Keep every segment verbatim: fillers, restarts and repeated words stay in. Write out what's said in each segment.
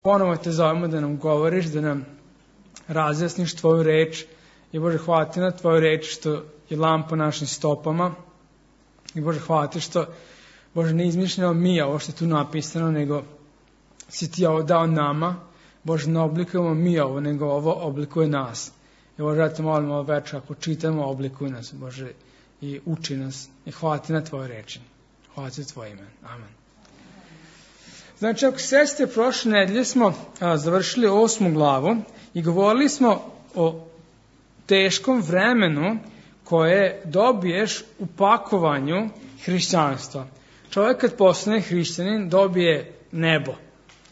Ponovo te zovemo da nam govoriš, da nam razjasniš tvoju reč. I Bože, hvala ti na tvoju reč što je lampa našim stopama. I Bože, hvala ti što, Bože, ne izmišljamo mi ovo što je tu napisano, nego si ti ovo dao nama. Bože, ne oblikujemo mi ovo, nego ovo oblikuje nas. I Bože, ja te molim ovo večer, ako čitamo, oblikuj nas, Bože, i uči nas. I hvala ti na tvoje reči. Hvala ti za tvoje ime. Amen. Znači, ako se sjećate, prošle nedelje smo a, završili osmu glavu i govorili smo o teškom vremenu koje dobiješ u pakovanju hrišćanstva. Čovjek kad postane hrišćanin dobije nebo,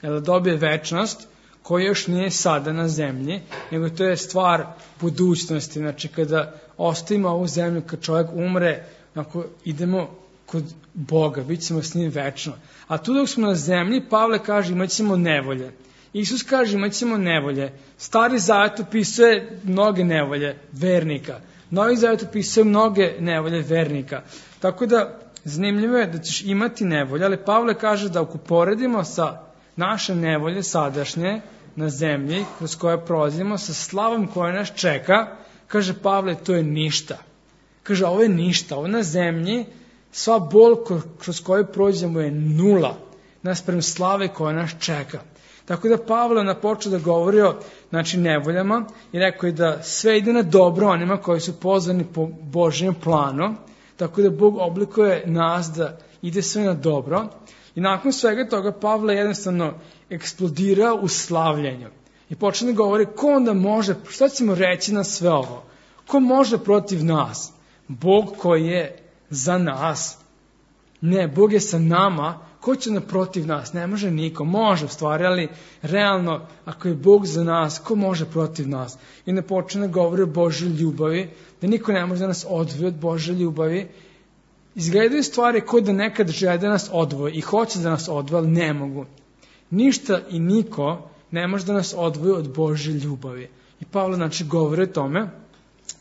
jer dobije večnost koja još nije sada na zemlji, nego to je stvar budućnosti. Znači, kada ostavimo ovu zemlju, kad čovjek umre, ako idemo kod Boga, bit ćemo s njim večno. A tu dok smo na zemlji, Pavle kaže imat ćemo nevolje. Isus kaže imat ćemo nevolje. Stari Zavet opisuje mnoge nevolje vernika. Novi Zavet opisuje mnoge nevolje vernika. Tako da zanimljivo je da ćeš imati nevolje, ali Pavle kaže da ako poredimo sa naše nevolje sadašnje na zemlji, kroz koje prolazimo, sa slavom koja nas čeka, kaže Pavle, to je ništa. Kaže, ovo je ništa, ovo na zemlji, sva bol kroz koju prođemo je nula, naspram slave koja nas čeka. Tako da Pavle na počeo da govori o znači, nevoljama i rekao je da sve ide na dobro onima koji su pozvani po Božjem planu, tako da Bog oblikuje nas da ide sve na dobro. I nakon svega toga Pavle jednostavno eksplodira u slavljenju. I počne da govori ko onda može, šta ćemo reći na sve ovo? Ko može protiv nas? Bog koji je za nas. Ne, Bog je sa nama. Ko će naprotiv nas? Ne može niko. Može u stvari, ali realno, ako je Bog za nas, ko može protiv nas? I ne počne da govori o Božoj ljubavi, da niko ne može da nas odvoji od Božje ljubavi. Izgledaju stvari kao da nekad žele da nas odvoji i hoće da nas odvoji, ali ne mogu. Ništa i niko ne može da nas odvoji od Božje ljubavi. I Pavle znači govori o tome.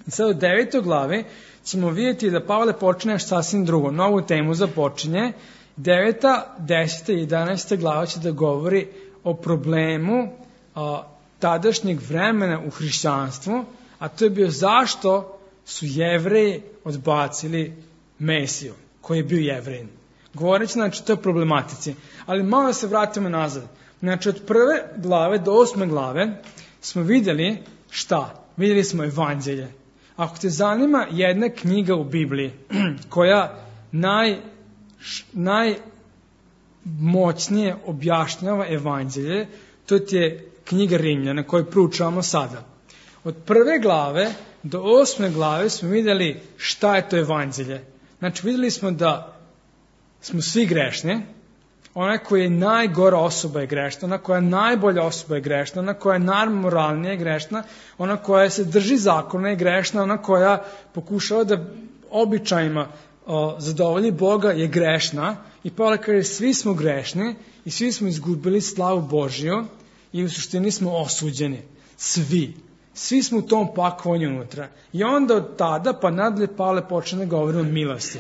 I sad u devetoj glavi ćemo vidjeti da Pavle počne nešto sasvim drugo. Novu temu započinje. Deveta, deseta i jedanaesta glava će da govori o problemu a, tadašnjeg vremena u hrišćanstvu, a to je bio zašto su Jevreji odbacili Mesiju, koji je bio Jevrejin. Govoreći znači o toj problematici. Ali malo se vratimo nazad. Znači od prve glave do osme glave smo vidjeli šta? Vidjeli smo evanđelje. Ako te zanima jedna knjiga u Bibliji koja naj, najmoćnije objašnjava evanđelje, to ti je knjiga Rimljana koju proučavamo sada. Od prve glave do osme glave smo vidjeli šta je to evanđelje. Znači vidjeli smo da smo svi grešni, ona koja je najgora osoba je grešna, ona koja je najbolja osoba je grešna, ona koja je najmoralnija je grešna, ona koja se drži zakona je grešna, ona koja pokušava da običajima o, zadovolji Boga je grešna. I Pavle kaže svi smo grešni i svi smo izgubili slavu Božju i u suštini smo osuđeni. Svi. Svi smo u tom pakovanju unutra. I onda od tada pa nadalje Pavle počne da govori o milosti.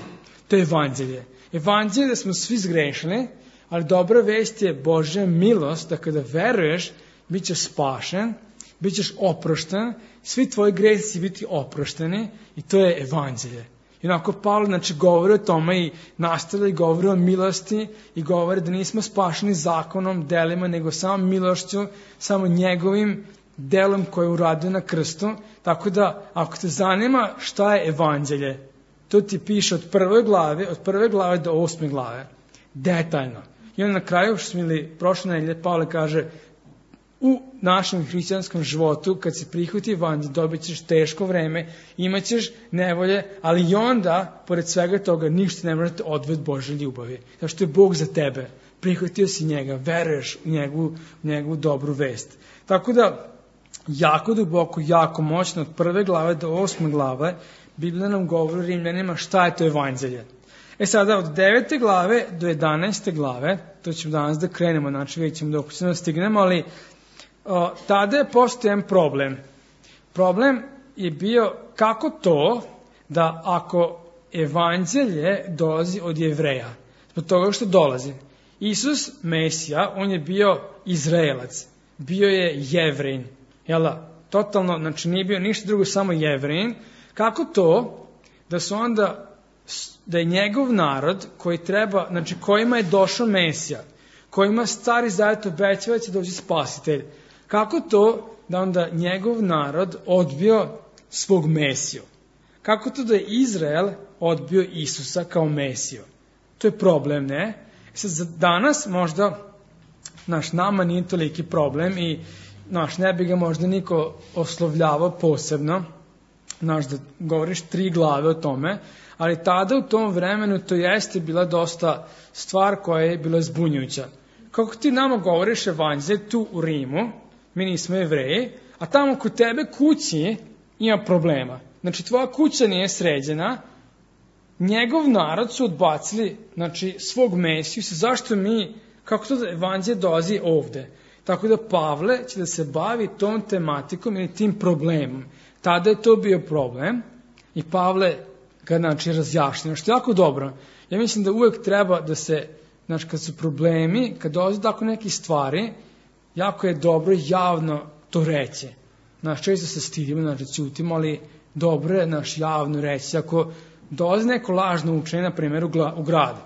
To je evanđelje. Evanđelje je da smo svi zgrešili, ali dobra vest je Božja milost, da kada veruješ, bit ćeš spašen, bit ćeš oprošten, svi tvoji gresi će biti oprošteni i to je evanđelje. I onako Pavle znači, govori o tome i nastavlja i govori o milosti i govori da nismo spašeni zakonom, delima, nego samo milošću, samo njegovim delom koje je uradio na krstu. Tako da, ako te zanima šta je evanđelje, to ti piše od prve glave, od prve glave do osme glave. Detaljno. I onda na kraju, što smo ili prošle nedelje, Pavle kaže, u našem hrišćanskom životu, kad se prihvati evanđelje, dobit ćeš teško vreme, imat ćeš nevolje, ali i onda, pored svega toga, ništa ne može te odvesti Božje ljubavi. Zato što je Bog za tebe. Prihvatio si njega, veruješ u njegovu, u njegovu dobru vest. Tako da, jako duboko, jako moćno, od prve glave do osme glave, Biblija nam govori Rimljanima šta je to evanđelje. E sada, od devete glave do jedanaeste glave, to ćemo danas da krenemo, znači vidjet ćemo dok ćemo da stignemo, ali o, tada je postojen problem. Problem je bio kako to da ako evanđelje dolazi od Jevreja, zbog toga što dolazi. Isus, Mesija, on je bio Izraelac, bio je Jevrin, jel da? Totalno, znači nije bio ništa drugo, samo Jevrin. Kako to da su onda, da je njegov narod koji treba, znači kojima je došao Mesija, kojima Stari Zavet obećava da će doći spasitelj, kako to da onda njegov narod odbio svog Mesiju? Kako to da je Izrael odbio Isusa kao Mesiju? To je problem, ne? Sad, za danas možda naš nama nije toliki problem i naš ne bi ga možda niko oslovljavao posebno, naš da govoriš tri glave o tome, ali tada u tom vremenu to jeste bila dosta stvar koja je bila zbunjujuća. Kako ti nama govoriš evanđelje tu u Rimu, mi nismo Jevreji, a tamo kod tebe kući ima problema. Znači tvoja kuća nije sređena, njegov narod su odbacili, znači, svog Mesiju, zašto mi, kako to da evanđelje dolazi ovde? Tako da Pavle će da se bavi tom tematikom ili tim problemom. Tada je to bio problem i Pavle ga, znači, razjašnjeno, što je jako dobro. Ja mislim da uvek treba da se, znači, kad su problemi, kad dolazi tako neke stvari, jako je dobro javno to reći. Znači, često se stidimo, znači, ćutimo, ali dobro je, naš, javno reći. Ako dolazi neko lažno učenje, na primjer, u, u gradu,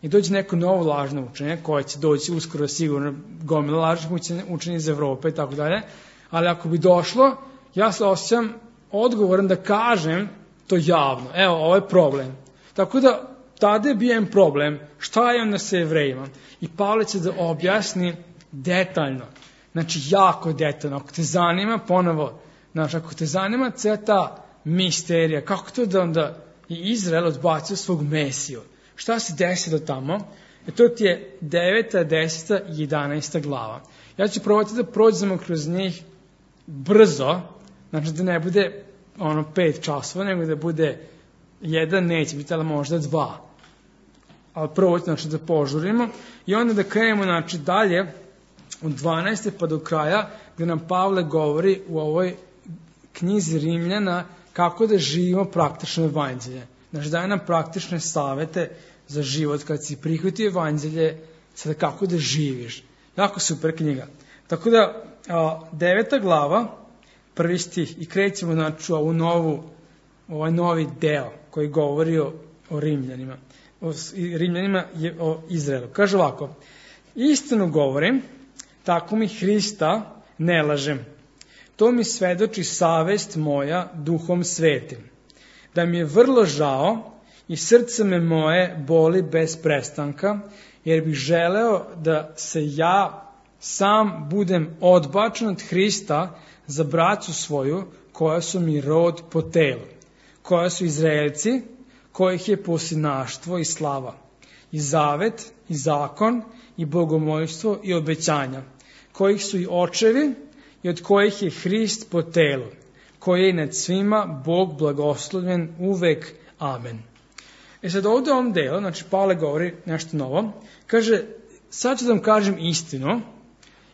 i dođe neko novo lažno učenje, koje će doći uskoro sigurno gomila lažnih učenja iz Evrope i tako dalje, ali ako bi došlo, ja se osjećam odgovoran da kažem to javno. Evo, ovo je problem. Tako da, tada je bio jedan problem. Šta je onda sa Jevrejima? I Pavle će da objasni detaljno. Znači, jako detaljno. Ako te zanima, ponovo, znači, ako te zanima cijela ta misterija, kako to da onda i Izrael odbacio svog Mesiju? Šta se desilo tamo? E to ti je deveta, deseta i jedanaesta glava. Ja ću probati da prođemo kroz njih brzo, znači da ne bude ono pet časova, nego da bude jedan, neće biti, ali možda dva. Ali prvo znači da požurimo i onda da krenemo, znači, dalje od dvanaeste pa do kraja, gde nam Pavle govori u ovoj knjizi Rimljana kako da živimo praktično evanđelje. Znači, daje nam praktične savete za život kad si prihvatio evanđelje, sada kako da živiš. Jako super knjiga. Tako da, a, deveta glava, prvi stih, i krećemo, znači, ovu novu, ovaj novi deo koji govori o, o Rimljanima. O Rimljanima je o Izraelu. Kaže ovako: istinu govorim, tako mi Hrista ne lažem. To mi svedoči savest moja duhom svetim, da mi je vrlo žao i srce me moje boli bez prestanka, jer bih želeo da se ja sam budem odbačen od Hrista za braću svoju, koja su mi rod po telu, koja su Izraelci, kojih je posinaštvo i slava, i zavet, i zakon, i bogomolstvo, i obećanja, kojih su i očevi, i od kojih je Hrist po telu, koji je nad svima Bog blagoslovljen uvek. Amen. E sad ovdje u ovom delu, znači Pavle govori nešto novo, kaže, sad ću da vam kažem istinu,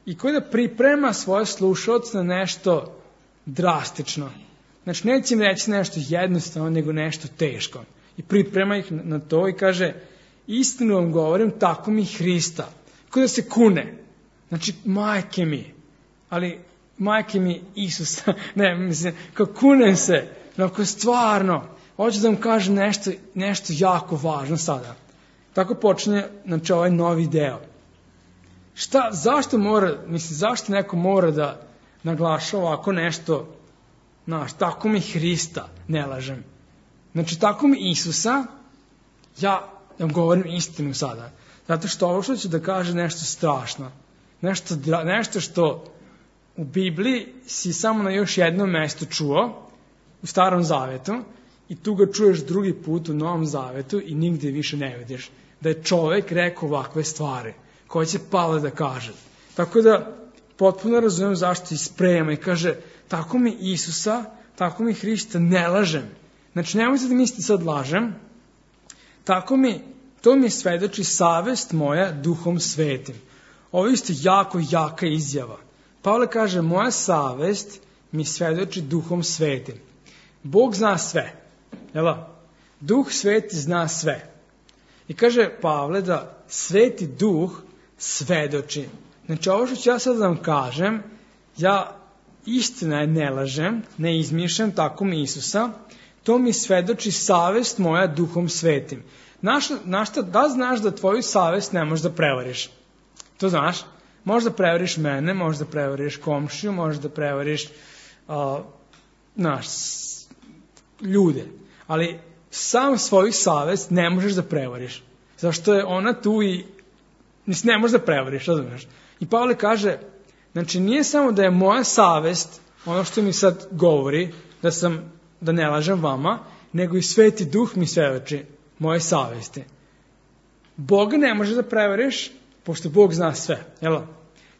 i koji da priprema svoje slušalce na nešto drastično. Znači, neće im reći nešto jednostavno, nego nešto teško. I priprema ih na to i kaže, istinu vam govorim, tako mi Hrista. Kao da se kune. Znači, majke mi. Ali, majke mi Isusa. Ne, mislim, kao kunem se. Ako stvarno, hoću da vam kažem nešto, nešto jako važno sada. Tako počinje, znači, ovaj novi deo. Šta, zašto mora, mislim, zašto neko mora da naglaša ovako nešto, znaš, tako mi Hrista, ne lažem. Znači, tako mi Isusa, ja vam govorim istinu sada. Zato što ovo što ću da kaže nešto strašno. Nešto, nešto što u Bibliji si samo na još jednom mestu čuo, u Starom Zavetu, i tu ga čuješ drugi put u Novom Zavetu i nigde više ne vidiš. Da je čovek rekao ovakve stvari, koje će Pavle da kaže. Tako da, potpuno razumijem zašto isprema i kaže, tako mi Isusa, tako mi Hrista, ne lažem. Znači, nemojte da mislite sad lažem, tako mi, to mi svedoči savest moja duhom svetim. Ovo je isto jako jaka izjava. Pavle kaže, moja savest mi svedoči duhom svetim. Bog zna sve, jel? Duh sveti zna sve. I kaže Pavle da Sveti Duh svedoči. Znači, ovo što ću ja sad da vam kažem, ja istina je ne lažem, ne izmišljam, tako mi Isusa, to mi svedoči savest moja Duhom Svetim. Naš, naš, da znaš da tvoju savest ne možeš da prevariš? To znaš? Možeš da prevariš mene, možeš da prevariš komšiju, možeš da prevariš uh, naš, ljude. Ali sam svoju savest ne možeš da prevariš. Zašto je ona tu i ne možeš da prevariš, razumiješ? I Pavle kaže, znači nije samo da je moja savest, ono što mi sad govori, da sam, da ne lažem vama, nego i Sveti Duh mi svedoči moje savesti. Boga ne možeš da prevariš, pošto Bog zna sve, jel?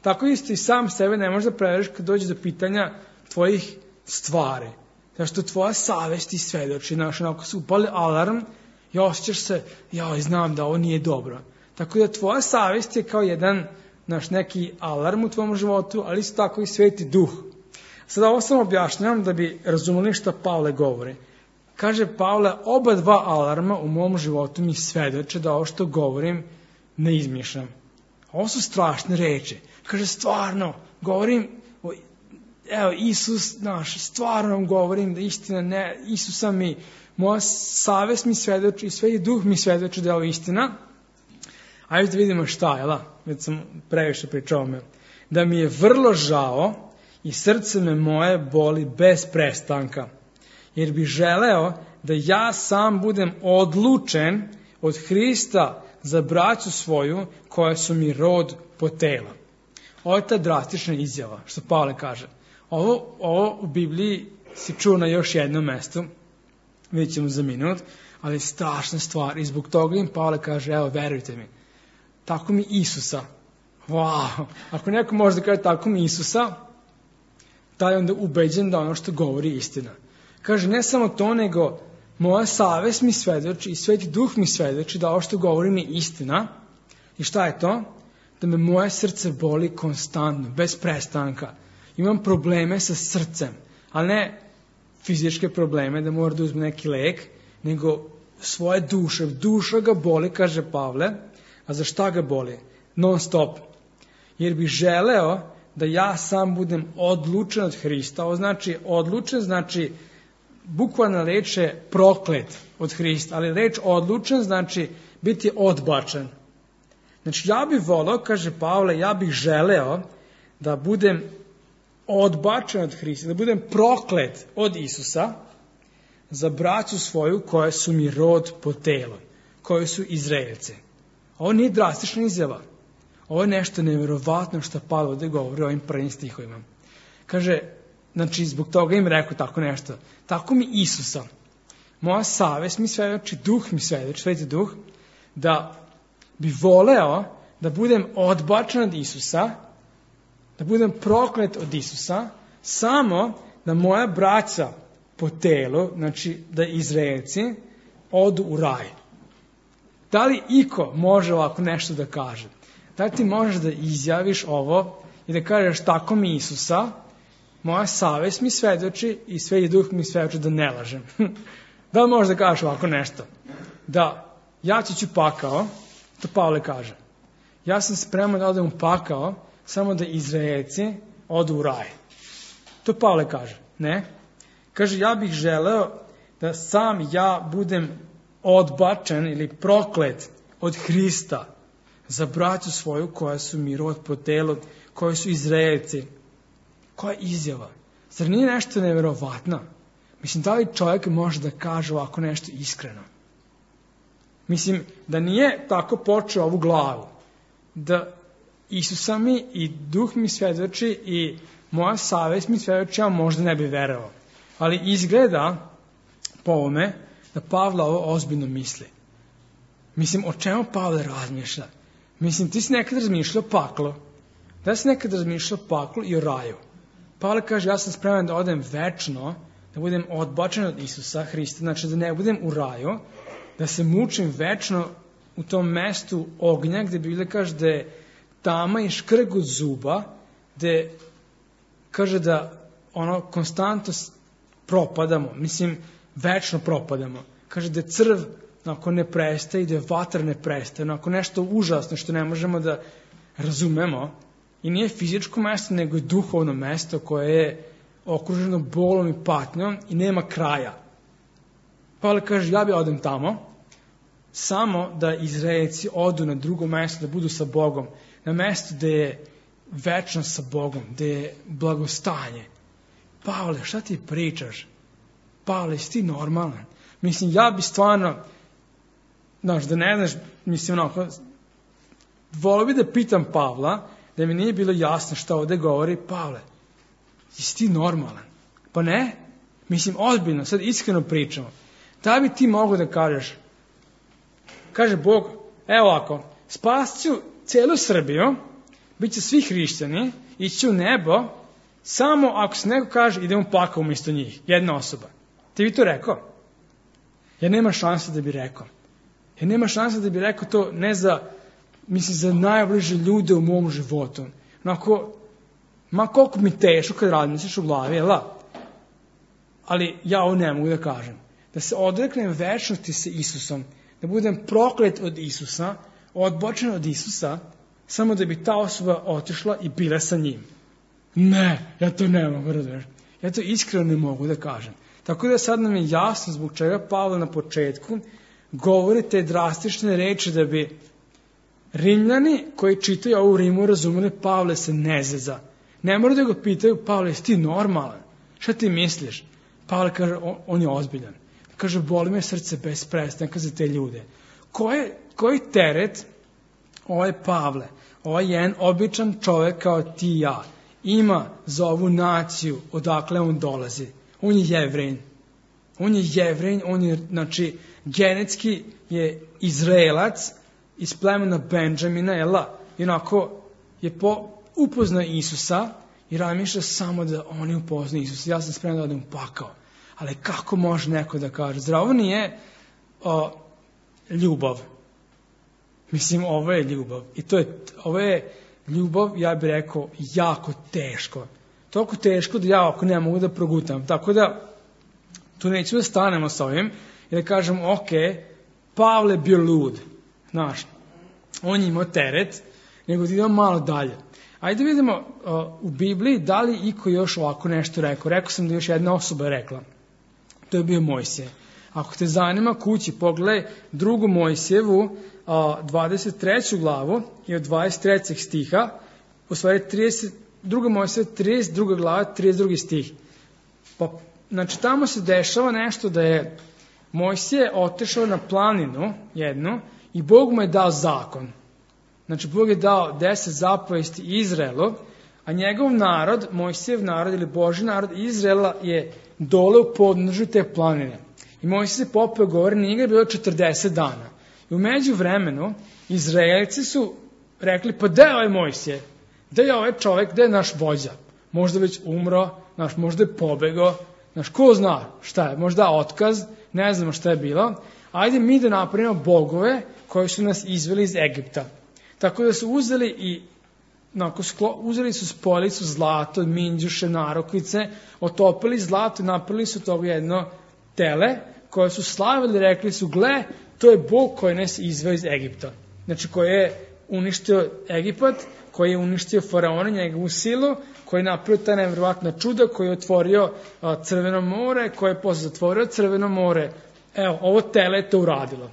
Tako isto i sam sebe ne možeš da prevariš kad dođe do pitanja tvojih stvari. Zašto tvoja savest ti svedoči, znaš, onako se upali alarm i osjećaš se, joj, znam da ovo nije dobro. Tako da tvoja savest je kao jedan, znaš, neki alarm u tvojom životu, ali isto tako i Sveti Duh. Sada ovo sam objašnjavam da bi razumeli šta Pavle govori. Kaže Pavle, oba dva alarma u mom životu mi svedoče da ovo što govorim ne izmišljam. Ovo su strašne reči. Kaže, stvarno, govorim, evo, Isus, znaš, stvarno vam govorim da istina ne, Isusa mi, moja savest mi svedoči i Sveti Duh mi svedoči da je ovo istina. Ajde da vidimo šta, jel? Već sam previše pričao me. Da mi je vrlo žao i srce me moje boli bez prestanka. Jer bi želeo da ja sam budem odlučen od Hrista za braću svoju koja su mi rod po tela. Ovo je ta drastična izjava, što Pavle kaže. Ovo, ovo u Bibliji se čuo na još jednom mestu, vidjet ćemo za minut, ali je strašna stvar i zbog toga im Pavle kaže, evo, verujte mi, tako mi Isusa. Wow. Ako neko može da kaže tako mi Isusa, taj je onda ubeđen da ono što govori je istina. Kaže, ne samo to, nego moja savest mi svedoči i Sveti Duh mi svedoči da ovo što govorim je istina. I šta je to? Da me moje srce boli konstantno, bez prestanka. Imam probleme sa srcem, ali ne fizičke probleme, da mora da uzme neki lek, nego svoje duše. Duša ga boli, kaže Pavle, a za šta ga boli? Non stop. Jer bi želeo da ja sam budem odlučen od Hrista. Ovo znači odlučen, znači bukvalna reč je proklet od Hrista, ali reč odlučen znači biti odbačen. Znači ja bih volao, kaže Pavle, ja bih želeo da budem odbačen od Hrista, da budem proklet od Isusa za braću svoju koja su mi rod po telu, koji su Izraelci. Ovo nije drastična izjava. Ovo je nešto nevjerovatno što Pavle ovdje govori o ovim prvim stihovima. Kaže, znači zbog toga im rekao tako nešto. Tako mi Isusa, moja savest mi svedoči, Duh mi svedoči, Sveti Duh, da bi voleo da budem odbačen od Isusa, da budem proklet od Isusa, samo da moja braća po telu, znači da Izraelci, odu u raj. Da li iko može ovako nešto da kaže? Da li ti možeš da izjaviš ovo i da kažeš tako mi Isusa, moja savest mi svedoči i Sveti Duh mi svedoči da ne lažem. Da li možeš da kažeš ovako nešto? Da ja ću pakao, to Pavle kaže. Ja sam spreman da odem u pakao, samo da Izraelci odu u raj. To Pavle kaže, ne? Kaže, ja bih želeo da sam ja budem odbačen ili proklet od Hrista za braću svoju koja su mi rod po telu, koji su Izraelci. Koja izjava? Zar nije nešto nevjerovatno? Mislim, da li čovjek može da kaže ovako nešto iskreno? Mislim, da nije tako počeo ovu glavu, da Isusa mi i Duh mi svedoči i moja savest mi svedoči, ja možda ne bi verovao. Ali izgleda po ovome da Pavle ovo ozbiljno misli. Mislim, o čemu Pavle razmišlja? Mislim, ti si nekad razmišljao paklo. Da si nekad razmišljao paklo i o raju. Pavle kaže, ja sam spreman da odem večno, da budem odbačen od Isusa Hrista, znači da ne budem u raju, da se mučim večno u tom mestu ognja, gde Biblija kaže da je tama i škrg od zuba, gde kaže da ono konstantno propadamo, mislim, večno propadamo. Kaže da je crv ako ne prestaje i da vatra ne prestaje, ako nešto užasno što ne možemo da razumemo i nije fizičko mesto, nego je duhovno mesto koje je okruženo bolom i patnjom i nema kraja. Pavle kaže, ja bi odem tamo, samo da Izraelci odu na drugo mesto, da budu sa Bogom, na mesto gde je večnost sa Bogom, gde je blagostanje. Pavle, šta ti pričaš? Pavle, si ti normalan? Mislim, ja bi stvarno, znaš, da ne znaš, mislim, onako, volio bi da pitam Pavla, da mi nije bilo jasno šta ovde govori, Pavle, jesi ti normalan? Pa ne? Mislim, ozbiljno, sad iskreno pričamo. Da bi ti mogo da kažeš, kaže Bog, evo ovako, spasit ću celu Srbiju, bit će svi hrišćani, ići u nebo, samo ako se neko kaže, idemo pakao umjesto njih, jedna osoba. Ti bi to rekao? Jer nema šanse da bi rekao. Jer nema šanse da bi rekao to ne za, mislim, za najbliže ljude u mom životu. Onako, ma koliko mi teško kad razmisliš u glavi, jel da? Ali ja ovo ne mogu da kažem. Da se odreknem večnosti sa Isusom, da budem proklet od Isusa, odbočen od Isusa, samo da bi ta osoba otišla i bila sa njim. Ne, ja to ne mogu, razumiješ. Ja to iskreno ne mogu da kažem. Tako da sad nam je jasno zbog čega Pavle na početku govori te drastične reči da bi Rimljani koji čitaju ovu Rimu razumeli Pavle se ne zeza. Ne moraju da ga pitaju, Pavle, jesi ti normalan? Šta ti misliš? Pavle kaže, on, on je ozbiljan. Kaže, boli me srce bez prestanka za te ljude. Koji, koji teret ovaj Pavle, ovaj jedan običan čovek kao ti i ja, ima za ovu naciju odakle on dolazi? On je Jevrejin. On je Jevrejin, on je, znači, genetski je Izraelac iz plemena Benjamina, jela? I onako je po, upoznao Isusa i razmišlja samo da oni upoznaju Isusa. Ja sam spreman da odem u pakao. Ali kako može neko da kaže? Zar ovo nije o, ljubav? Mislim, ovo je ljubav. I to je, ovo je ljubav, ja bih rekao, jako teško. Toliko teško da ja ako ne mogu da progutam. Tako da, tu nećemo da stanemo sa ovim i da kažem, ok, Pavle bio lud. Znaš, on je imao teret, nego da idemo malo dalje. Ajde vidimo uh, u Bibliji da li iko još ovako nešto rekao. Rekao sam da još jedna osoba rekla. To je bio Mojsije. Ako te zanima kući, pogledaj drugu Mojsijevu, uh, dvadeset treću glavu i od dvadeset trećeg stiha, u stvari trideset, druga Mojsijeva, trideset druga glava, trideset drugi stih. Pa, znači, tamo se dešava nešto da je Mojsije otišao na planinu jednu i Bog mu je dao zakon. Znači, Bog je dao deset zapovesti Izraelu, a njegov narod, Mojsijev narod ili Božji narod Izraela je dole u podnožju te planine. I Mojsije se popeo govori, nije ga bilo četrdeset dana. I u međuvremenu Izraelci su rekli, pa gde je ovaj Mojsije? Gde je ovaj čovek, gde je naš vođa? Možda već umro, naš, možda je pobegao, naš, ko zna šta je, možda otkaz, ne znamo šta je bilo. Ajde mi da napravimo bogove koji su nas izveli iz Egipta. Tako da su uzeli i Nako, sklo, uzeli su spolicu zlato, minđuše, narokvice, otopili zlato i napravili su toga jedno tele koje su slavili, rekli su, gle, to je Bog koji nas izveo iz Egipta. Znači, koji je uništio Egipat, koji je uništio faraona, njegovu silu, koji je napravio ta nevjerovatna čuda, koji je otvorio a, Crveno more, koji je posle zatvorio Crveno more. Evo, ovo tele je to uradilo.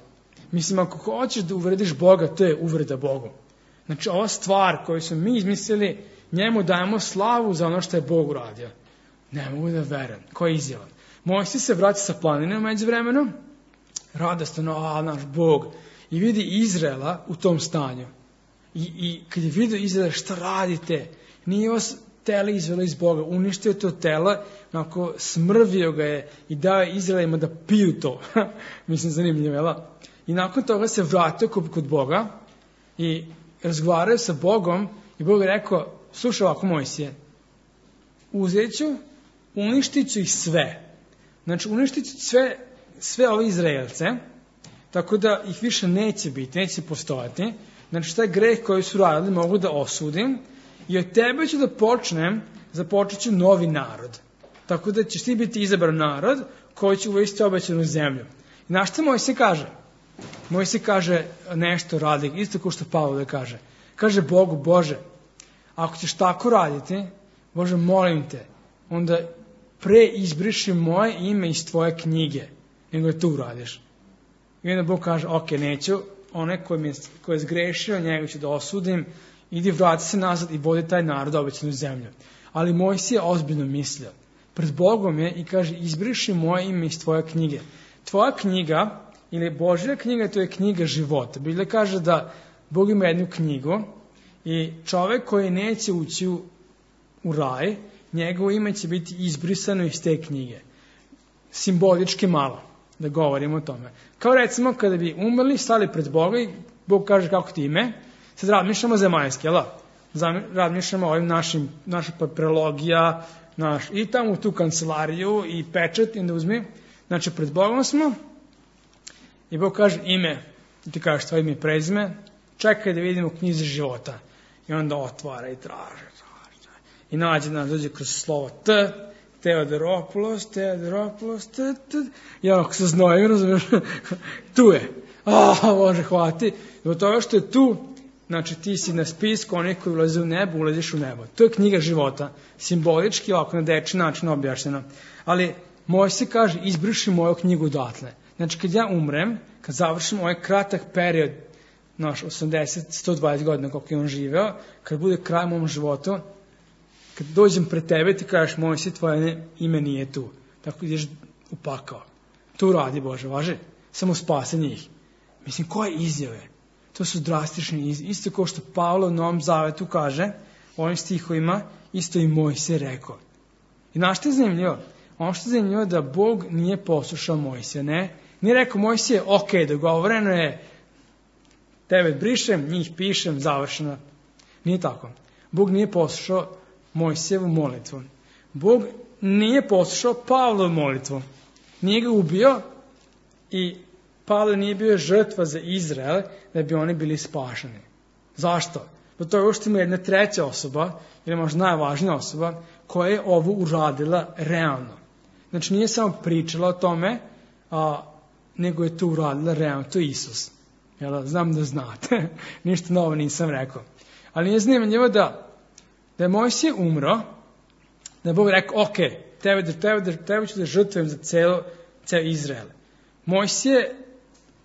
Mislim, ako hoćeš da uvrediš Boga, to je uvreda Bogu. Znači, ova stvar koju smo mi izmislili, njemu dajemo slavu za ono što je Bog uradio. Ne mogu da verujem. Ko je izjavan? Mojsije se vrati sa planine u međuvremenu, radostano, a, naš Bog, i vidi Izraela u tom stanju. I, i kad je vidio Izraela, šta radite? Nije vas tele izvelo iz Boga, uništio to telo, onako smrvio ga je i dao je Izraelima da piju to. Mislim, zanimljivo, jel? I nakon toga se vratio kod, kod Boga i razgovaraju sa Bogom i Bog je rekao, slušaj ovako Mojsije, uzet ću, uništit ću ih sve. Znači, uništit ću sve, sve ove Izraelce, tako da ih više neće biti, neće postojati. Znači, taj greh koji su radili mogu da osudim i od tebe ću da počnem, započet ću novi narod. Tako da ćeš ti biti izabran narod koji će uvesti obećanu zemlju. I znaš što Mojsije kaže? Mojsije kaže nešto radi, isto kao što Pavle kaže. Kaže Bogu, Bože, ako ćeš tako raditi, Bože, molim te, onda pre izbriši moje ime iz tvoje knjige, nego je tu uradiš. I onda Bog kaže, ok, neću, onaj koji je, koji je zgrešio, njega ću da osudim, idi vrati se nazad i vodi taj narod obećanu zemlju. Ali Mojsije ozbiljno mislio. Pred Bogom je i kaže, izbriši moje ime iz tvoje knjige. Tvoja knjiga, ili Božja knjiga, to je knjiga života. Biblia kaže da Bog ima jednu knjigu i čovek koji neće ući u, u raj, njegovo ime će biti izbrisano iz te knjige. Simbolički malo, da govorimo o tome. Kao recimo kada bi umrli, stali pred Boga i Bog kaže kako ti ime, sad razmišljamo zemaljski, jel da? Razmišljamo o ovim našim, naša papirologija, naš, i tamo u tu kancelariju i pečat i onda uzmi. Znači pred Bogom smo i Bog kaže ime, i ti kažeš tvoje ime i prezime, čekaj da vidimo knjizi života. I onda otvara i traže, traže, traže. I nađe nam, dođe kroz slovo T, Teodoropoulos, Teodoropoulos, T, T. Ja ako se znojim, razumiješ, tu je. A, Bože, hvati. Zbog toga što je tu, znači ti si na spisku onih koji ulaze u nebo, ulaziš u nebo. To je knjiga života, simbolički, ovako na deči način objašnjeno. Ali Mojsije kaže, izbriši moju knjigu odatle. Znači kad ja umrem, kad završim ovaj kratak period, naš osamdeset do sto dvadeset godina koliko je on živeo, kad bude kraj mom životu, kad dođem pred tebe ti kažeš, Mojsije, tvoje ime nije tu. Tako ideš u pakao. To radi, Bože, važi? Samo spase njih. Mislim, koje izjave? To su drastične izjave. Isto kao što Pavlo u Novom Zavetu kaže, u ovim stihovima, isto i Mojsije rekao. I znaš što je zanimljivo? Ono što je zanimljivo da Bog nije poslušao Mojsija, ne? Nije rekao Mojsije, ok, dogovoreno je, tebe brišem, njih pišem, završeno. Nije tako. Bog nije poslušao Mojsijevu molitvu. Bog nije poslušao Pavlovu molitvu. Nije ga ubio i Pavle nije bio žrtva za Izrael da bi oni bili spašeni. Zašto? Zato je što ima jedna treća osoba, ili možda najvažnija osoba, koja je ovo uradila realno. Znači nije samo pričala o tome, a, nego je to uradila realno. To je Isus. Jel, znam da znate. Ništa novo nisam rekao. Ali nije zanimljivo da, da je Mojsije umro, da je Bog rekao, ok, tebe, tebe, tebe ću da žrtvujem za celo, ceo Izrael. Mojsije,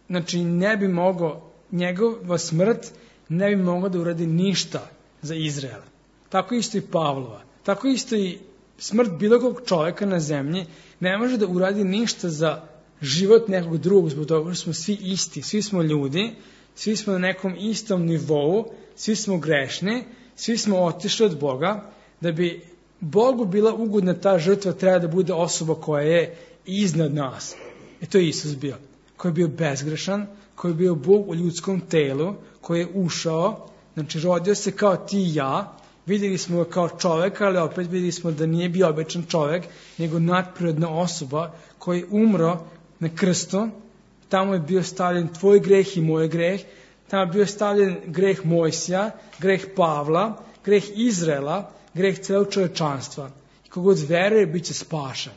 znači ne bi mogao, njegova smrt ne bi mogao da uradi ništa za Izrael. Tako isto i Pavlova. Tako isto i smrt bilo kog čovjeka na zemlji ne može da uradi ništa za život nekog drugog, zbog toga što smo svi isti, svi smo ljudi, svi smo na nekom istom nivou, svi smo grešni, svi smo otišli od Boga, da bi Bogu bila ugodna ta žrtva treba da bude osoba koja je iznad nas. I to je Isus bio, koji je bio bezgrešan, koji je bio Bog u ljudskom telu, koji je ušao, znači rodio se kao ti i ja, vidjeli smo ga kao čoveka, ali opet vidjeli smo da nije bio običan čovek, nego nadprirodna osoba koji je umro na krstu, tamo je bio stavljen tvoj greh i moj greh, tamo je bio stavljen greh Mojsija, greh Pavla, greh Izraela, greh celog čovečanstva. I kogod veruje, bit će spašen.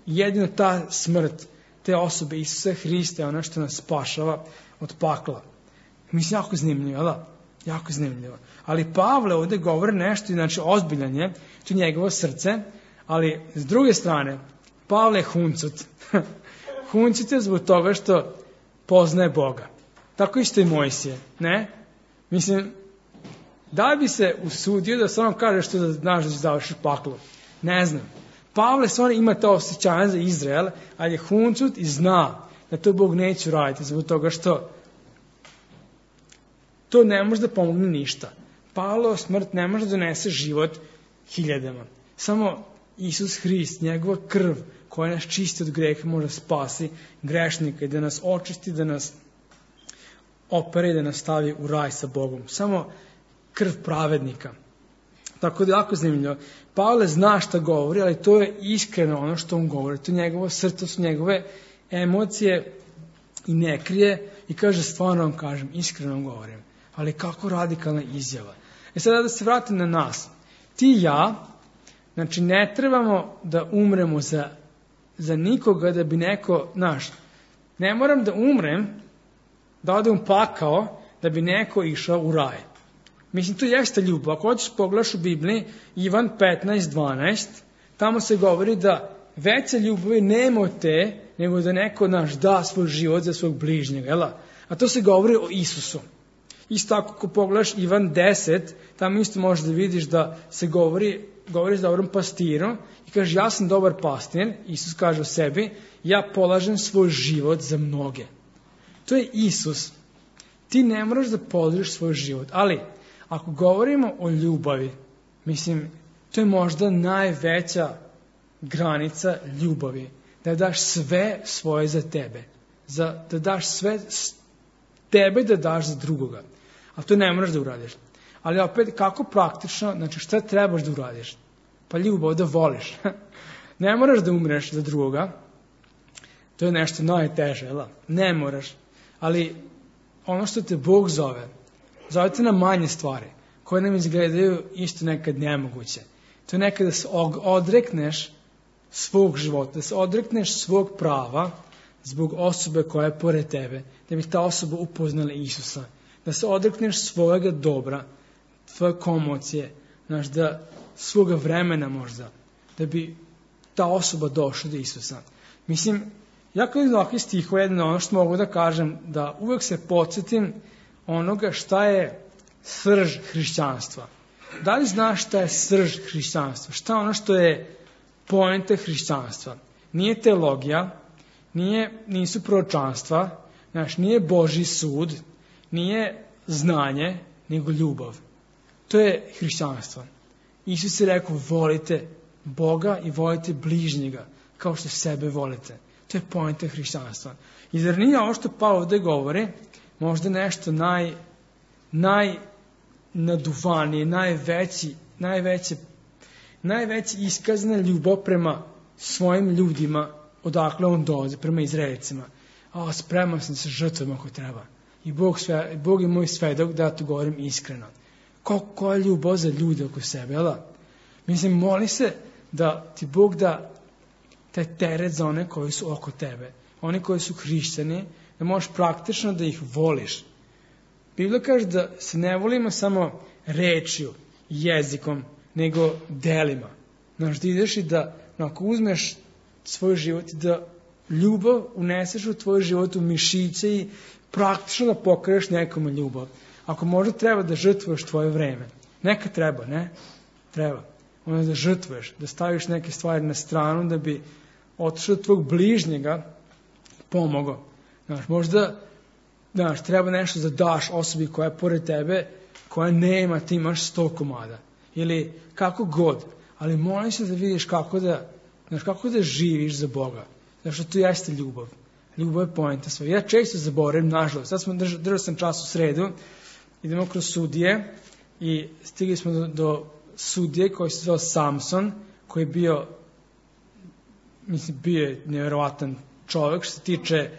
Jedino ta smrt te osobe Isusa Hrista je ono što nas spašava od pakla. Mislim, jako zanimljivo, da? Jako zanimljivo. Ali Pavle ovdje govori nešto, znači ozbiljan je, to je njegovo srce, ali s druge strane, Pavle je huncut. Huncut je zbog toga što poznaje Boga. Tako isto i Mojsije, ne? Mislim, da bi se usudio da samo kaže što da znaš da će završiti paklo? Ne znam. Pavle stvarno ima to osjećanje za Izrael, ali je huncut i zna da to Bog neće raditi zbog toga što to ne može da pomogne ništa. Pavlova smrt ne može da donese život hiljadama. Samo Isus Hrist, njegova krv koja nas čisti od greha može spasi grešnika i da nas očisti, da nas opere i da nas stavi u raj sa Bogom. Samo krv pravednika. Tako da je jako zanimljivo. Pavle zna šta govori, ali to je iskreno ono što on govori. To je njegovo srce, to su njegove emocije i ne krije i kaže stvarno vam kažem, iskreno vam govorim. Ali kako radikalna izjava. E sada da se vratim na nas. Ti i ja, znači ne trebamo da umremo za, za nikoga da bi neko, znaš, ne moram da umrem da ode u pakao da bi neko išao u raj. Mislim, to jeste ljubav. Ako hoćeš pogledaš u Bibliji, Ivan petnaest dvanaest, tamo se govori da veće ljubavi nema od te, nego da neko naš da svoj život za svog bližnjega. Jela? A to se govori o Isusu. Isto tako, ako pogledaš Ivan deset, tamo isto možeš da vidiš da se govori, govori s dobrom pastirom i kaže, ja sam dobar pastir, Isus kaže o sebi, ja polažem svoj život za mnoge. To je Isus. Ti ne moraš da položiš svoj život, ali ako govorimo o ljubavi, mislim, to je možda najveća granica ljubavi. Da daš sve svoje za tebe. Za, da daš sve tebe da daš za drugoga. A to ne moraš da uradiš. Ali opet, kako praktično, znači šta trebaš da uradiš? Pa ljubav, da voliš. Ne moraš da umreš za drugoga. To je nešto najteže, jel? Ne moraš. Ali ono što te Bog zove, zove te na manje stvari, koje nam izgledaju isto nekad nemoguće. To je nekad da se odrekneš svog života, da se odrekneš svog prava zbog osobe koja je pored tebe, da bi ta osoba upoznala Isusa, da se odrekneš svojega dobra, tvoje komocije, znaš, da svoga vremena možda, da bi ta osoba došla do Isusa. Mislim, jako iz ovakvih stihova jedno ono što mogu da kažem, da uvek se podsjetim onoga šta je srž hrišćanstva. Da li znaš šta je srž hrišćanstva? Šta je ono što je poenta hrišćanstva? Nije teologija, nije, nisu proročanstva, znaš, nije Božji sud, nije znanje, nego ljubav. To je hrišćanstvo. Isus je rekao, volite Boga i volite bližnjega, kao što sebe volite. To je poenta hrišćanstva. I zar nije ovo što Pavao ovde govori, možda nešto naj, najnaduvanije, najveći, najveće, najveći iskazna ljubav prema svojim ljudima, odakle on dolazi, prema Izraelcima. A, spreman sam se žrtvom ako treba. I Bog, sve, Bog je moj svedok da ja to govorim iskreno. Koja je ljubav za ljude oko sebe, jel da? Mislim, moli se da ti Bog da taj teret za one koji su oko tebe. Oni koji su hrišćani, da možeš praktično da ih voliš. Biblia kaže da se ne volimo samo rečju, jezikom, nego delima. Znaš, da ideš i da, ako uzmeš svoj život i da ljubav uneseš u tvoj život u mišiće i praktično da pokriješ nekome ljubav. Ako možda treba da žrtvuješ tvoje vreme. Neka treba, ne? Treba. Onda da žrtvuješ, da staviš neke stvari na stranu da bi otišao od tvog bližnjega i pomogao. Znaš, možda, znaš, treba nešto da daš osobi koja je pored tebe, koja nema, ti imaš sto komada. Ili kako god. Ali molim se da vidiš kako da, znaš, kako da živiš za Boga. Znaš, to jeste ljubav. Ljubav je poenta svoja. Ja često zaboravim, nažalost. Sad smo držali, držali sam čas u sredu, idemo kroz sudije i stigli smo do, do sudije koji se zvao Samson, koji je bio, mislim, bio je nevjerovatan čovjek što se tiče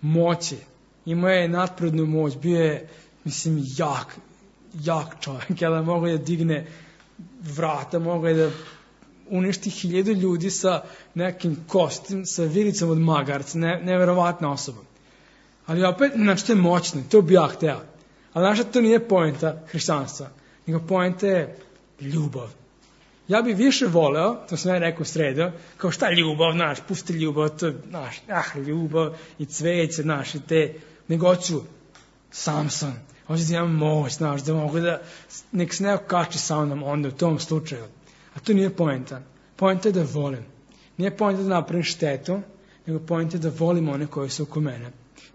moći. Imao je nadprirodnu moć, bio je, mislim, jak, jak čovjek, jel, mogao je da digne vrata, mogao je da uništi hiljadu ljudi sa nekim kostim, sa vilicom od magarca, ne, nevjerovatna osoba. Ali opet, znači, to je moćno, to bi ja hteo. Ali znači, to nije poenta hrišćanstva, nego poenta je ljubav. Ja bih više voleo, to sam ja rekao u sredu, kao šta ljubav, znaš, pusti ljubav, to je, znaš, ah, ljubav i cveće, znaš, i te, nego hoću Samson, hoću da imam moć, znaš, da mogu da, nek se neko kači sa mnom onda u tom slučaju. A to nije poenta. Poenta je da volim. Nije poenta da napravim štetu, nego poenta je da volim one koji su oko mene.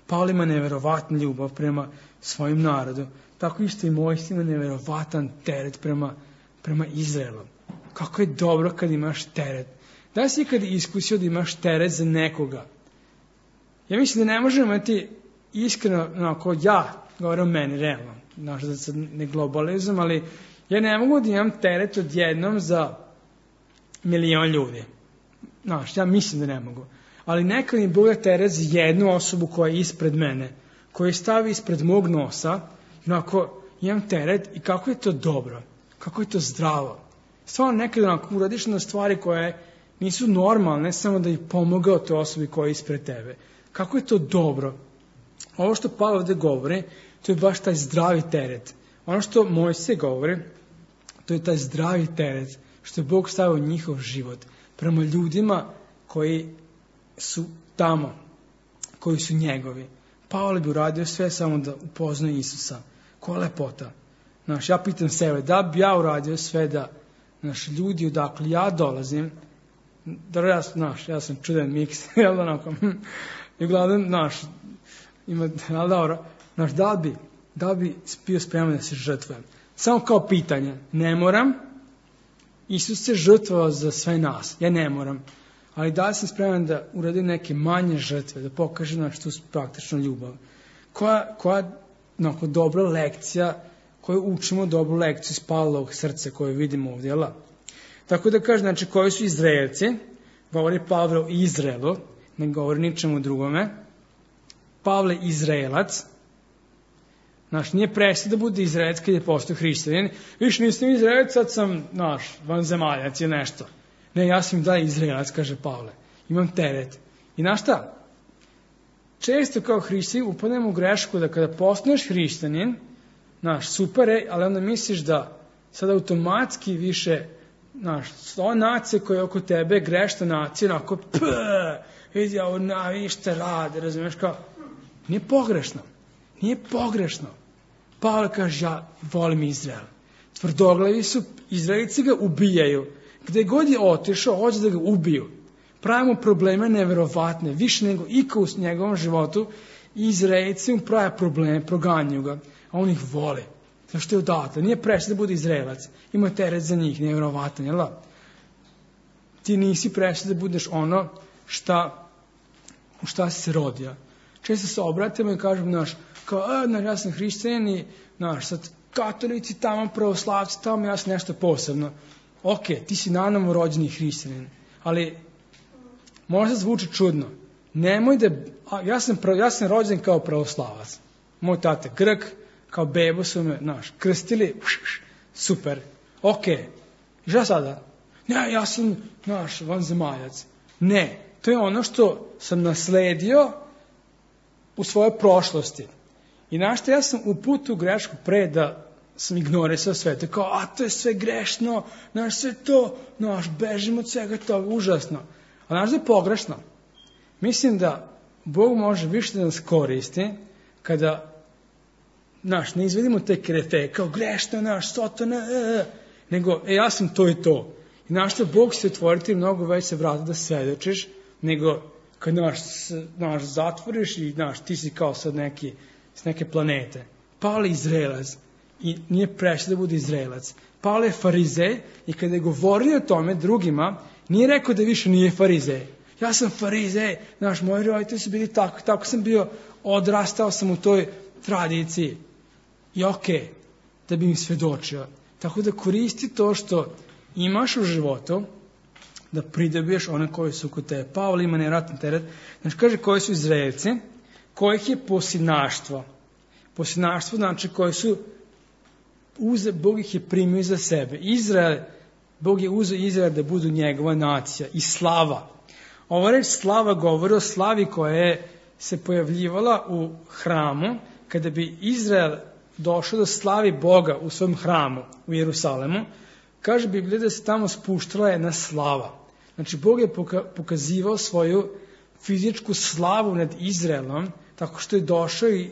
Pavle ima neverovatnu ljubav prema svojim narodu, tako isto i Mojsije ima neverovatan teret prema, prema Izraelu. Kako je dobro kad imaš teret. Da li si ikad iskusio da imaš teret za nekoga? Ja mislim da ne možemo imati iskreno, onako, ja, govorim o meni, realno, znaš, da se ne globalizam, ali ja ne mogu da imam teret odjednom za milion ljudi. Znaš, ja mislim da ne mogu. Ali nekad mi Bog da teret za jednu osobu koja je ispred mene, koja je stavi ispred mog nosa, onako, imam teret i kako je to dobro, kako je to zdravo. Stvarno nekada onako uradiš na stvari koje nisu normalne, samo da ih pomogao toj osobi koja je ispred tebe. Kako je to dobro. ovo što Pavle ovde govori, to je baš taj zdravi teret. Ono što Mojsije govori, to je taj zdravi teret, što je Bog stavio u njihov život, prema ljudima koji su tamo, koji su njegovi. Pavle bi uradio sve samo da upoznaje Isusa. Koja lepota. Znaš, ja pitam sebe, da bi ja uradio sve da, znaš, ljudi odakle ja dolazim, da ja, znaš, ja sam čudan miks, jel da onako, i uglavnom, znaš, ima, ali dobro, znaš, da bi, da bi bio spreman da se žrtvujem. Samo kao pitanje, ne moram, Isus se žrtvovao za sve nas, ja ne moram, ali da li sam spreman da uradim neke manje žrtve, da pokažem naš tu praktičnu ljubav. Koja, koja onako, dobra lekcija, koju učimo dobru lekciju iz Pavlovog srca koju vidimo ovdje, jel? Tako da kaže, znači, koji su Izraelci, govori Pavle o Izraelu, ne govori ničemu drugome. Pavle Izraelac, znaš, nije prestao da bude Izraelac kad je postao hrišćanin. Više nisam Izraelac, sad sam, znaš, vanzemaljac je nešto. Ne, ja sam da Izraelac, kaže Pavle. Imam teret. I znaš šta? Često kao hrišćanin upadnemo u grešku da kada postaneš hrišćanin, znaš, super je, ali onda misliš da sad automatski više, znaš, ova nacija koja je oko tebe, grešna nacija, onako, pëë, vidi ovo, na, vidi šta rade, razumiješ, kao, nije pogrešno, nije pogrešno. Pavle kaže, ja volim Izrael. Tvrdoglavi su, Izraelici ga ubijaju. Gde god je otišao, hoće da ga ubiju. Pravimo probleme neverovatne, više nego iko u njegovom životu, Izraelici mu prave probleme, proganjaju ga, a on ih voli. Zašto je odatle? Nije prešao da bude Izraelac. Ima teret za njih, nevjerovatan, jel da? Ti nisi prešao da budeš ono šta, u šta si se rodio. Često se obratimo i kažemo, znaš, kao, a, znaš, ja sam hrišćanin i, znaš, sad katolici tamo, pravoslavci tamo, ja sam nešto posebno. Ok, ti si nanamo rođeni hrišćanin, ali možda zvuči čudno. Nemoj da, a, ja, sam, ja sam rođen kao pravoslavac. Moj tata Grk, kao bebo su me, znaš, krstili, super, ok. I šta sada? Ne, ja sam, znaš, vanzemaljac. Ne, to je ono što sam nasledio u svojoj prošlosti. I znaš što, ja sam uputio u grešku pre da sam ignorisao sve. To kao, a to je sve grešno, znaš, sve to, znaš, bežimo od svega toga, užasno. A znaš da je pogrešno? Mislim da Bog može više da nas koristi kada, znaš, ne izvedimo te krefe, kao grešno, znaš, sotona, e, e, nego, e, ja sam to i to. I znaš što, Bog će otvoriti mnogo veće vrata da svedočiš, nego kad, znaš, znaš, zatvoriš i, znaš, ti si kao sad neki, s neke planete. Pavle je Izraelac i nije prešao da bude Izraelac. Pavle je farizej i kada je govorio o tome drugima, nije rekao da više nije farizej. Ja sam farizej, znaš, moji roditelji su bili tako, tako sam bio, odrastao sam u toj tradiciji. I okej, okay, da bi im svedočio. Tako da koristi to što imaš u životu, da pridobiješ one koji su kod tebe. Pavle ima nevjerojatan teret. Znači, kaže koji su Izraelci, kojih je posinaštvo. Posinaštvo znači koji su, uze, Bog ih je primio za sebe. Izrael, Bog je uzeo Izrael da budu njegova nacija i slava. Ova reč slava govori o slavi koja je se pojavljivala u hramu, kada bi Izrael došao da slavi Boga u svom hramu u Jerusalemu. Kaže Biblija da se tamo spuštala jedna slava. Znači, Bog je pokazivao svoju fizičku slavu nad Izraelom, tako što je došao i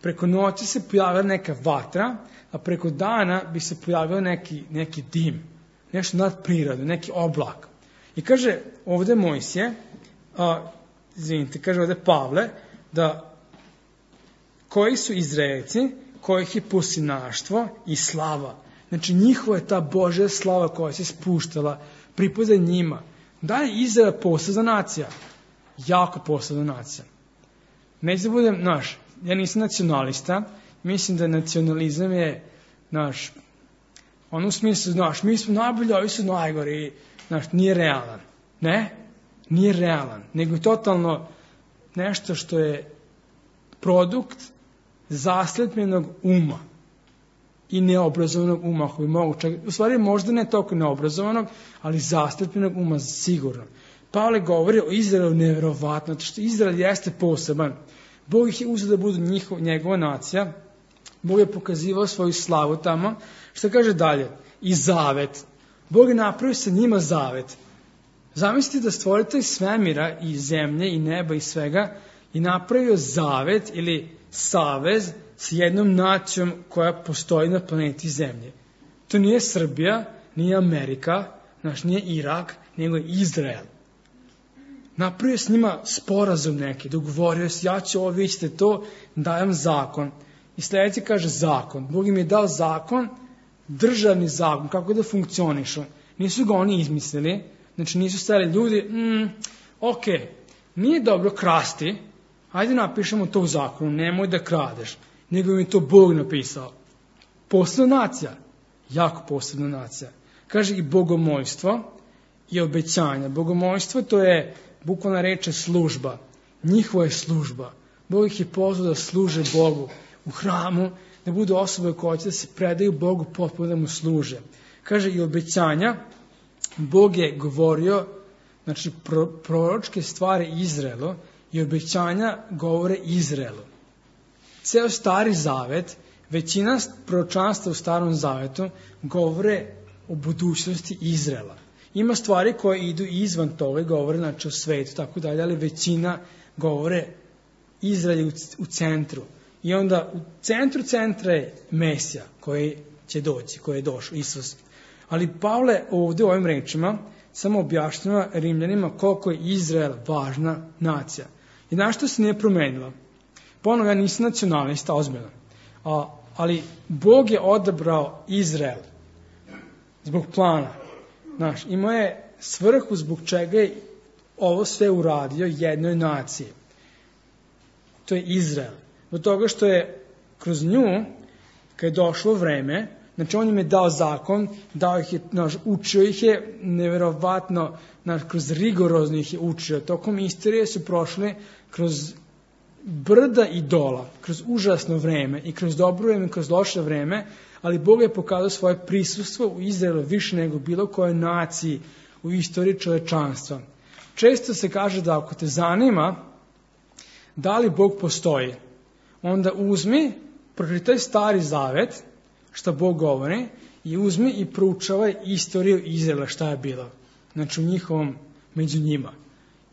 preko noći se pojavila neka vatra, a preko dana bi se pojavio neki, neki dim, nešto nadprirodno, neki oblak. I kaže ovde Mojsije, a, izvinite, kaže ovde Pavle, da koji su Izraelci, kojih je posinaštvo i slava. Znači, njihova je ta Božja slava koja se spuštala, pripada njima. Da je Izrael posebna nacija? Jako posebna nacija. Neću da budem, znaš, ja nisam nacionalista, mislim da nacionalizam je, znaš, ono u smislu, znaš, mi smo najbolji, ovi su najgori, znaš, nije realan. Ne? Nije realan, nego je totalno nešto što je produkt zaslepljenog uma i neobrazovanog uma, koji mogu čak, u stvari možda ne toliko neobrazovanog, ali zaslepljenog uma sigurno. Pavle govori o Izraelu nevjerovatno, što Izrael jeste poseban. Bog ih je uzeo da budu njihov, njegova nacija. Bog je pokazivao svoju slavu tamo. Šta kaže dalje? I zavet. Bog je napravio sa njima zavet. Zamislite da stvorite iz svemira i zemlje i neba i svega i napravio zavet ili savez s jednom nacijom koja postoji na planeti Zemlje. To nije Srbija, nije Amerika, znaš, nije Irak, nego je Izrael. Napravio s njima sporazum neki, dogovorio se, ja ću ovo, vi ćete to, dajem zakon. I sljedeći kaže zakon. Bog im je dao zakon, državni zakon, kako da funkcionišu. Nisu ga oni izmislili, znači nisu stali ljudi, mm, ok, nije dobro krasti, ajde napišemo to u zakonu, nemoj da kradeš. Nego im je to Bog napisao. Posebna nacija, jako posebna nacija. Kaže i bogomojstvo i obećanja. Bogomojstvo to je bukvalna reč služba. Njihova je služba. Bog ih je pozvao da služe Bogu u hramu, da budu osobe koje će da se predaju Bogu potpuno da mu služe. Kaže i obećanja. Bog je govorio, znači pro, proročke stvari Izraelu i obećanja govore Izraelu. Ceo stari zavet, većina proročanstva u starom zavetu govore o budućnosti Izraela. Ima stvari koje idu izvan toga i govore znači o svetu, tako dalje, ali većina govore Izrael u, u centru. I onda u centru centra je Mesija koji će doći, koji je došao, Isus. Ali Pavle ovdje u ovim rečima samo objašnjava Rimljanima koliko je Izrael važna nacija. I znaš što se nije promenilo? Ponovno, ja nisam nacionalista, ozbiljno. A, ali Bog je odabrao Izrael zbog plana. Znaš, imao je svrhu zbog čega je ovo sve uradio jednoj naciji. To je Izrael. Od toga što je kroz nju, kad je došlo vreme, znači on im je dao zakon, dao ih je, znaš, učio ih je, nevjerovatno, znaš, kroz rigorozno ih je učio. Tokom istorije su prošli kroz brda i dola, kroz užasno vreme i kroz dobro vreme i kroz loše vreme, ali Bog je pokazao svoje prisustvo u Izraelu više nego bilo kojoj naciji u istoriji čovečanstva. Često se kaže da ako te zanima da li Bog postoji, onda uzmi, pročitaj Stari Zavet, što Bog govori, i uzmi i proučavaj istoriju Izraela, šta je bilo. Znači u njihovom, među njima.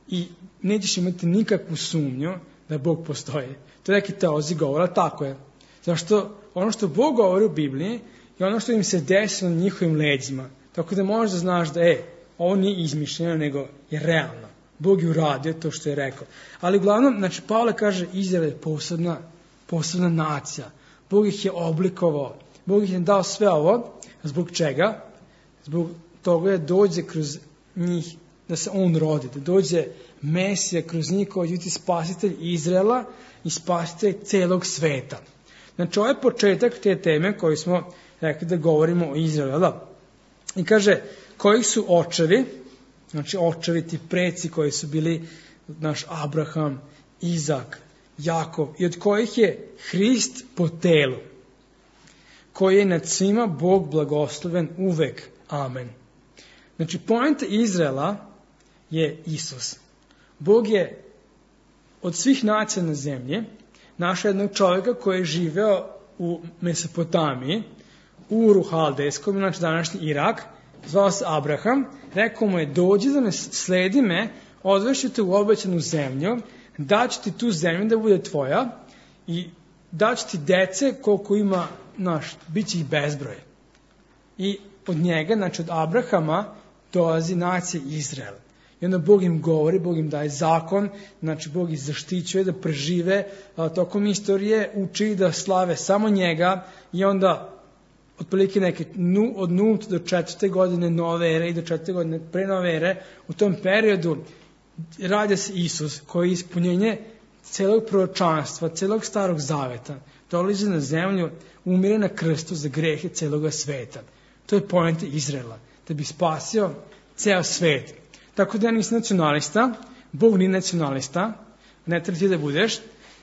I nećeš imati nikakvu sumnju da Bog postoji. To neki teolozi govore, tako je. Zašto ono što Bog govori u Bibliji je ono što im se desilo na njihovim leđima. Tako da možeš da znaš da je, ovo nije izmišljeno, nego je realno. Bog je uradio to što je rekao. Ali uglavnom, znači Pavle kaže, Izrael je posebna, posebna nacija. Bog ih je oblikovao. Bog ih je dao sve ovo. Zbog čega? Zbog toga je dođe kroz njih, da se on rodi, da dođe Mesija kroz njih koji će biti spasitelj Izraela i spasitelj celog sveta. Znači, ovo je početak te teme koju smo rekli da govorimo o Izraelu. I kaže, koji su očevi, znači očevi ti preci koji su bili naš Abraham, Izak, Jakov, i od kojih je Hrist po telu, koji je nad svima Bog blagosloven uvek. Amen. Znači, poenta Izraela je Isus. Bog je od svih nacija na zemlji našao jednog čovjeka koji je živeo u Mesopotamiji, u Uru Haldejskom, znači današnji Irak, zvao se Abraham, rekao mu je, dođi da me sledi me, odvešću te u obećanu zemlju, daću ti tu zemlju da bude tvoja i daću ti dece koliko ima, naš, bit će ih bezbroj. I od njega, znači od Abrahama, dolazi nacija Izrael. I onda Bog im govori, Bog im daje zakon, znači Bog ih zaštićuje da prežive a, tokom istorije, uči da slave samo njega i onda otprilike neke nu, od nulte do četvrte godine nove ere i do četvrte godine pre nove ere, u tom periodu rađa se Isus koji je ispunjenje celog proročanstva, celog starog zaveta, dolazi na zemlju, umire na krstu za grehe celoga sveta. To je poenta Izraela, da bi spasio ceo svet. Tako da ja nisam nacionalista, Bog nije nacionalista, ne treba ti da budeš.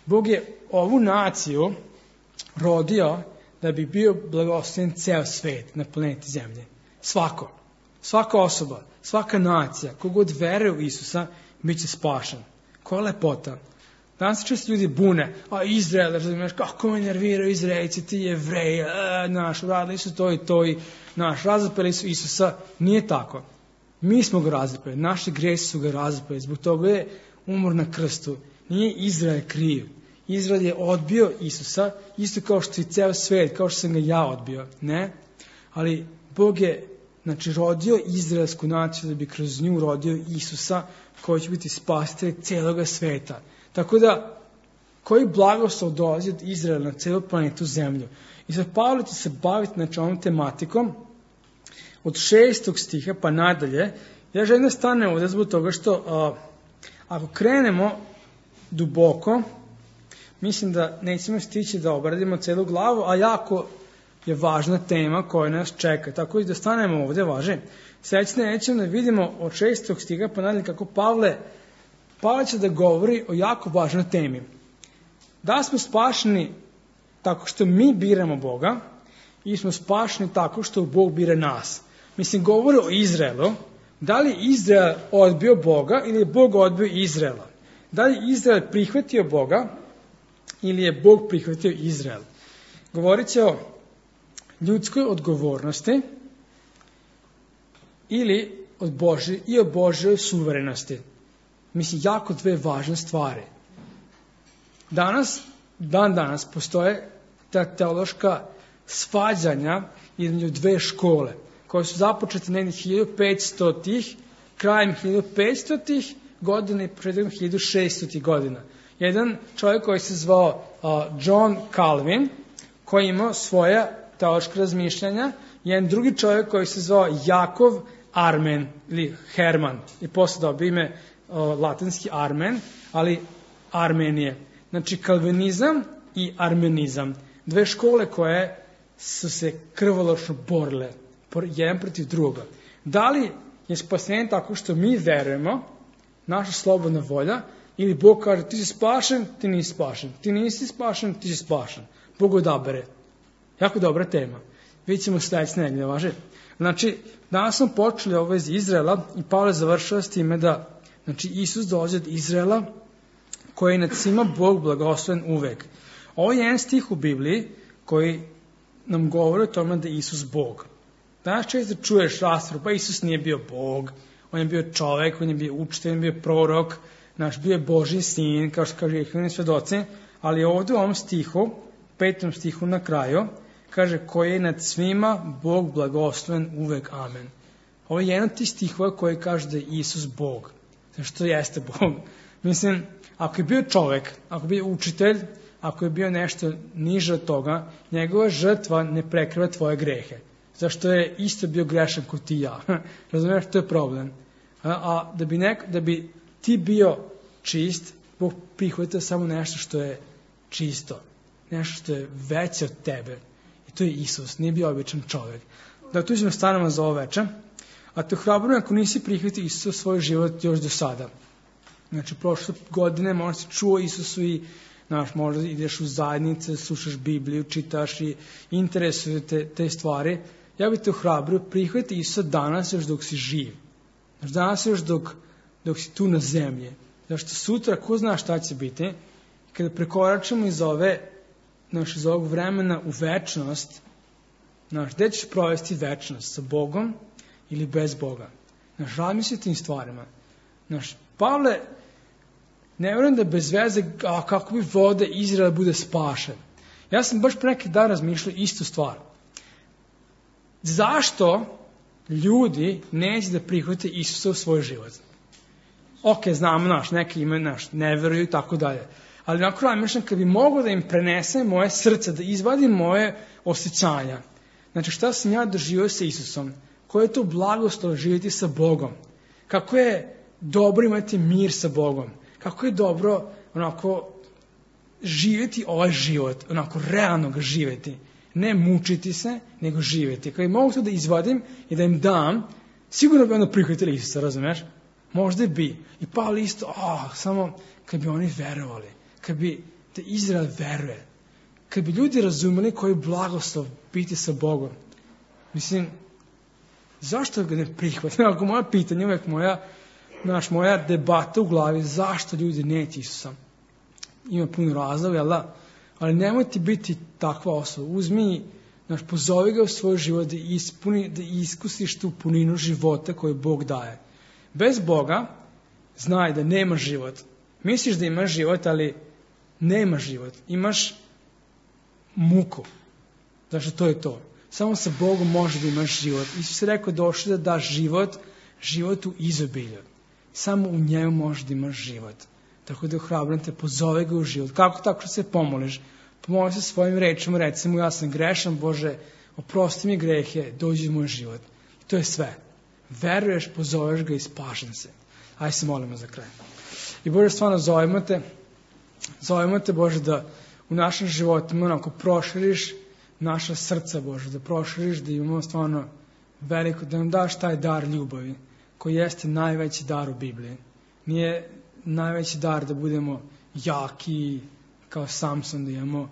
Bog je ovu naciju rodio da bi bio blagosloven ceo svet na planeti Zemlje. Svako, svaka osoba, svaka nacija, kogod veruje u Isusa, bit će spašen. Koja lepota. Danas se često ljudi bune, a Izrael, razumiješ, kako me nerviraju Izraelci, ti Jevreji, e, naš, uradili su to i to i naš, razapeli su Isusa. Nije tako. Mi smo ga razapeli, naši gresi su ga razapeli, zbog toga je umor na krstu. Nije Izrael kriv. Izrael je odbio Isusa, isto kao što i ceo svet, kao što sam ga ja odbio. Ne? Ali Bog je, znači, rodio izraelsku naciju da bi kroz nju rodio Isusa, koji će biti spasitelj celoga sveta. Tako da, koji blagoslov dolazi od Izraela na celu planetu Zemlju. I sad Pavle će se baviti, znači, ovom tematikom od šestog stiha pa nadalje. Ja želim da stane ovdje zbog toga što a, ako krenemo duboko, mislim da nećemo stići da obradimo celu glavu, a jako je važna tema koja nas čeka. Tako da stanemo ovdje, važe. Sljedeće nećemo da vidimo od šestog stiha pa nadalje kako Pavle, Pavle će da govori o jako važnoj temi. Da smo spašeni tako što mi biramo Boga i smo spašeni tako što Bog bira nas. Mislim, govori o Izraelu. Da li Izrael odbio Boga ili je Bog odbio Izraela? Da li Izrael prihvatio Boga ili je Bog prihvatio Izrael? Govorit će o ljudskoj odgovornosti ili od Božje, i o Božjoj suverenosti. Mislim, jako dve važne stvari. Danas, dan danas, postoje ta teološka svađanja između dve škole, koje su započete negdje hiljadu petstotih, krajem hiljadu petstotih godina i početkom hiljadu šeststotih godina. Jedan čovjek koji se zvao uh, John Calvin, koji je imao svoja teološka razmišljanja, jedan drugi čovjek koji se zvao Jakov Armen ili Herman, i posle dobio ime uh, latinski Armen, ali Armenije. Znači, kalvinizam i armenizam. Dve škole koje su se krvoločno borile, jedan protiv druga. Da li je spasenje tako što mi verujemo, naša slobodna volja, ili Bog kaže ti si spašen, ti nisi spašen, ti nisi spašen, ti si spašen. Bog odabere. Jako dobra tema. Vidjet ćemo sljedeće nedelje, važe. Znači, danas smo počeli ovo iz Izraela i Pavle završava s time da, znači, Isus dolazi od Izraela, koji je nad svima Bog blagosloven uvek. Ovo je jedan stih u Bibliji koji nam govori o tome da je Isus Bog. Danas često čuješ raspravu, pa Isus nije bio Bog, on je bio čovjek, on je bio učitelj, on je bio prorok, naš bio je Božji sin, kao što kaže Jehovini svedoci, ali ovdje u ovom stihu, petom stihu na kraju, kaže koji je nad svima Bog blagosloven uvek, amen. Ovo je jedan od tih stihova koji kaže da je Isus Bog. Zašto jeste Bog? Mislim, ako je bio čovjek, ako je bio učitelj, ako je bio nešto niže od toga, njegova žrtva ne prekriva tvoje grehe. Zašto je isto bio grešan kao ti i ja. Razumiješ, to je problem. A, a da, bi nek, da bi ti bio čist, Bog prihvatio samo nešto što je čisto. Nešto što je veće od tebe. I to je Isus, nije bio običan čovjek. Da tu ćemo stanemo za ovo večer. A te hrabrujem ako nisi prihvatio Isusa u svoj život još do sada. Znači, prošle godine možda si čuo Isusu i znaš, možda ideš u zajednice, slušaš Bibliju, čitaš i interesuju te, te stvari. Ja bih te ohrabrio, prihvati Isusa danas još dok si živ. Znači, danas još dok, dok si tu na zemlji. Zašto sutra, ko zna šta će biti, kada prekoračimo iz ove, znaš, iz ovog vremena u večnost, znaš, gde ćeš provesti večnost? Sa Bogom ili bez Boga? Znaš, razmisli tim stvarima. Znaš, Pavle, ne vjerujem da bez veze, a kako bi vode Izrael bude spašen. Ja sam baš pre neki dan razmišljao istu stvar. Zašto ljudi neće da prihvate Isusa u svoj život? Ok, znamo, naš, neki imaju, naš, ne veruju i tako dalje. Ali nakon razmišljam, kad bi mogao da im prenesem moje srce, da izvadim moje osjećanja. Znači, šta sam ja doživio sa Isusom? Koje je to blagoslov živjeti sa Bogom? Kako je dobro imati mir sa Bogom? Kako je dobro onako živjeti ovaj život, onako realno ga živjeti. Ne mučiti se, nego živjeti. Kad bi mogu to da izvadim i da im dam, sigurno bi ono prihvatili Isusa, razumiješ? Možda bi. I Pavle isto, oh, samo kad bi oni verovali, kad bi da Izrael veruje, kad bi ljudi razumeli koji je blagoslov biti sa Bogom. Mislim, zašto ga ne prihvatiti? Ako moja pitanja, uvijek moja, naš, moja debata u glavi, zašto ljudi neće Isusa? ima puno razloga, jel da? Ali nemoj ti biti takva osoba. Uzmi, znaš, pozovi ga u svoj život da, ispuni, da iskusiš tu puninu života koju Bog daje. Bez Boga znaj da nema život. Misliš da imaš život, ali nema život. Imaš muku. Znači, to je to. Samo sa Bogom može da imaš život. Isus je rekao, došli da daš život, život u izobilju. Samo u njemu može da imaš život. Tako da ohrabram te, pozove ga u život. Kako tako što se pomoliš? Pomoli se svojim rečima, reci mu, ja sam grešan, Bože, oprosti mi grehe, dođi u moj život. I to je sve. Veruješ, pozoveš ga i spašen se. Ajde se molimo za kraj. I Bože, stvarno zovemo te, zovemo te, Bože, da u našem životima onako proširiš naša srca, Bože, da proširiš, da imamo stvarno veliko, da nam daš taj dar ljubavi, koji jeste najveći dar u Bibliji. Nije najveći dar da budemo jaki kao Samson, da imamo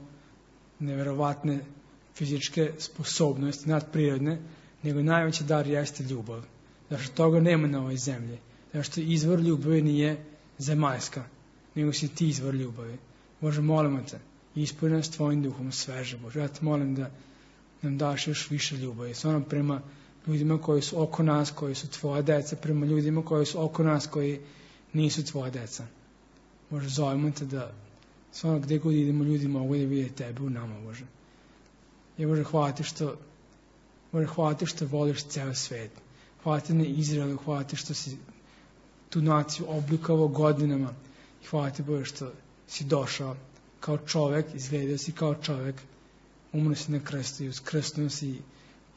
neverovatne fizičke sposobnosti, nadprirodne, nego najveći dar jeste ljubav. Zašto toga nema na ovoj zemlji. Zašto izvor ljubavi nije zemaljska, nego si ti izvor ljubavi. Bože, molimo te, ispuni nas tvojim duhom sveže, Bože. Ja te molim da nam daš još više ljubavi. Stvarno prema ljudima koji su oko nas, koji su tvoja deca, prema ljudima koji su oko nas, koji nisu tvoja deca. Bože, zovemo te da stvarno gdje god idemo, ljudi mogu da vide tebe u nama, Bože. I Bože, hvala ti što, Bože, hvala ti što voliš ceo svet. Hvala ti na Izraelu, hvala ti što si tu naciju oblikovao godinama. I hvala ti, Bože, što si došao kao čovek, izgledao si kao čovek, umro si na krstu i uskrsnuo si i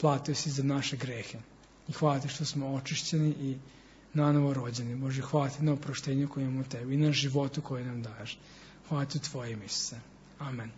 platio si za naše grehe. I hvala ti što smo očišćeni i nanovo rođeni. Bože, hvala ti na oproštenju koje imamo u tebi i na životu koje nam daješ. Hvala ti u tvojim, Isuse. Amen.